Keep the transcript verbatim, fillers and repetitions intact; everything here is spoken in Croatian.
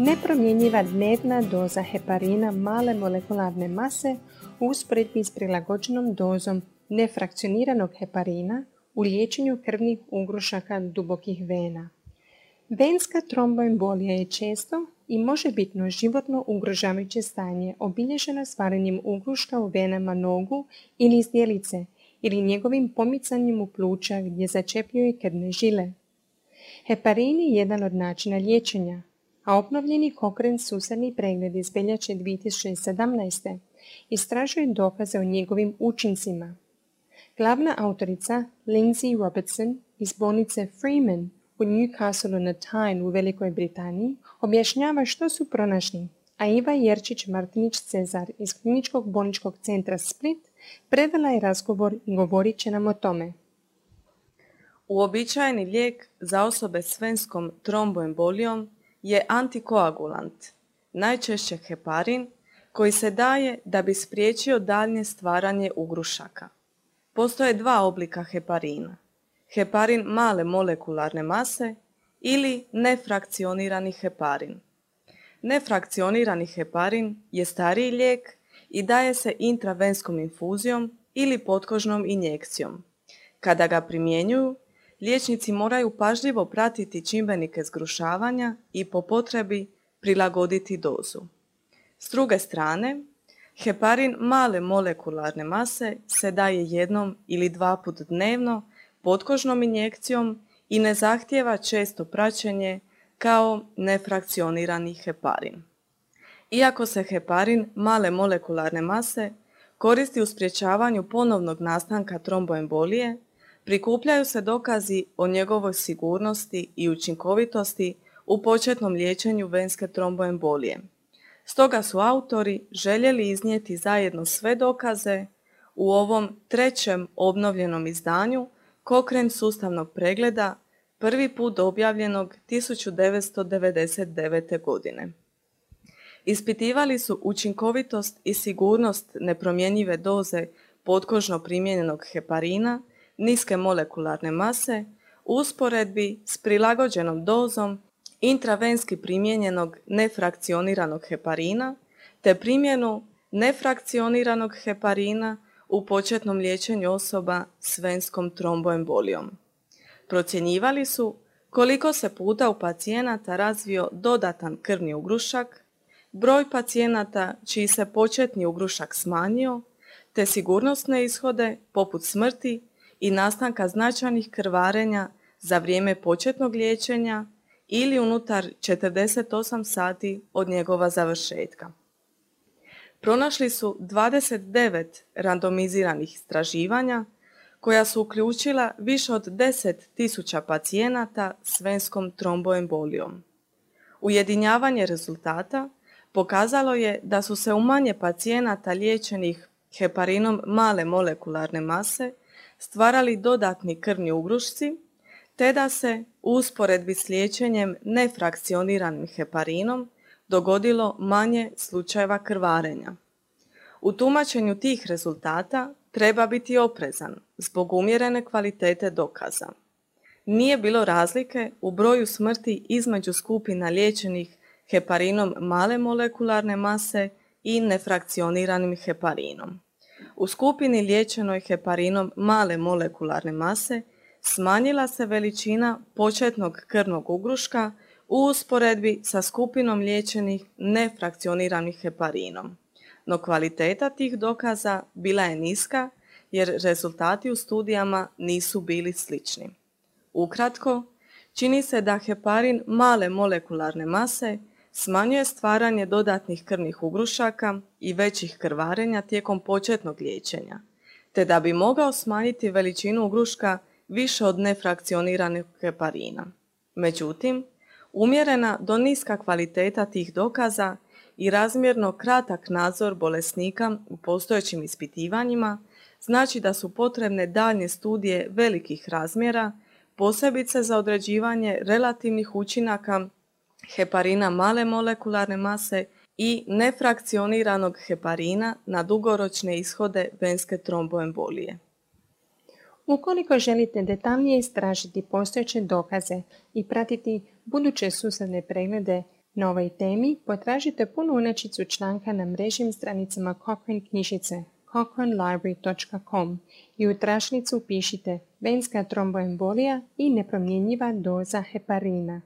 Nepromjenjiva dnevna doza heparina male molekularne mase u usporedbi s prilagođenom dozom nefrakcioniranog heparina u liječenju krvnih ugrušaka dubokih vena. Venska tromboembolija je često i možebitno životno ugrožavajuće stanje obilježeno stvaranjem ugruška u venama nogu ili zdjelice ili njegovim pomicanjem u pluća gdje začepljuje krvne žile. Heparin je jedan od načina liječenja, a obnovljeni Cochrane sustavni pregled iz veljače dvije tisuće sedamnaeste. istražuje dokaze o njegovim učincima. Glavna autorica Lindsay Robertson iz bolnice Freeman u Newcastle on Tyne u Velikoj Britaniji objašnjava što su pronašli, a Iva Jerčić-Martinić-Cezar iz Kliničkog bolničkog centra Split predala je razgovor i govorit će nam o tome. Uobičajeni lijek za osobe s venskom tromboembolijom je antikoagulant, najčešće heparin, koji se daje da bi spriječio daljnje stvaranje ugrušaka. Postoje dva oblika heparina. Heparin male molekularne mase ili nefrakcionirani heparin. Nefrakcionirani heparin je stariji lijek i daje se intravenskom infuzijom ili potkožnom injekcijom. Kada ga primjenjuju, liječnici moraju pažljivo pratiti čimbenike zgrušavanja i po potrebi prilagoditi dozu. S druge strane, heparin male molekularne mase se daje jednom ili dva put dnevno potkožnom injekcijom i ne zahtijeva često praćenje kao nefrakcionirani heparin. Iako se heparin male molekularne mase koristi u sprječavanju ponovnog nastanka tromboembolije, prikupljaju se dokazi o njegovoj sigurnosti i učinkovitosti u početnom liječenju venske tromboembolije. Stoga su autori željeli iznijeti zajedno sve dokaze u ovom trećem obnovljenom izdanju Cochrane sustavnog pregleda, prvi put objavljenog tisuću devetsto devedeset devete. godine. Ispitivali su učinkovitost i sigurnost nepromjenjive doze potkožno primijenjenog heparina niske molekularne mase u usporedbi s prilagođenom dozom intravenski primijenjenog nefrakcioniranog heparina te primjenu nefrakcioniranog heparina u početnom liječenju osoba s venskom tromboembolijom. Procjenjivali su koliko se puta u pacijenata razvio dodatan krvni ugrušak, broj pacijenata čiji se početni ugrušak smanjio, te sigurnosne ishode poput smrti i nastanka značajnih krvarenja za vrijeme početnog liječenja ili unutar četrdeset osam sati od njegova završetka. Pronašli su dvadeset devet randomiziranih istraživanja koja su uključila više od deset tisuća pacijenata s venskom tromboembolijom. Ujedinjavanje rezultata pokazalo je da su se u manje pacijenata liječenih heparinom male molekularne mase stvarali dodatni krvni ugrušci, te da se u usporedbi s liječenjem nefrakcioniranim heparinom dogodilo manje slučajeva krvarenja. U tumačenju tih rezultata treba biti oprezan zbog umjerene kvalitete dokaza. Nije bilo razlike u broju smrti između skupina liječenih heparinom male molekularne mase i nefrakcioniranim heparinom. U skupini liječenoj heparinom male molekularne mase smanjila se veličina početnog krvnog ugruška u usporedbi sa skupinom liječenih nefrakcioniranih heparinom, no kvaliteta tih dokaza bila je niska jer rezultati u studijama nisu bili slični. Ukratko, čini se da heparin male molekularne mase smanjuje stvaranje dodatnih krvnih ugrušaka i većih krvarenja tijekom početnog liječenja, te da bi mogao smanjiti veličinu ugruška više od nefrakcioniranog heparina. Međutim, umjerena do niska kvaliteta tih dokaza i razmjerno kratak nadzor bolesnika u postojećim ispitivanjima znači da su potrebne daljnje studije velikih razmjera, posebice za određivanje relativnih učinaka heparina male molekularne mase i nefrakcioniranog heparina na dugoročne ishode venske tromboembolije. Ukoliko želite detaljnije istražiti postojeće dokaze i pratiti buduće sustavne preglede Na ovoj temi potražite punu inačicu članka na mrežnim stranicama Cochrane knjižnice cochrane library dot com i u tračnicu upišite venska tromboembolija i nepromjenjiva doza heparina.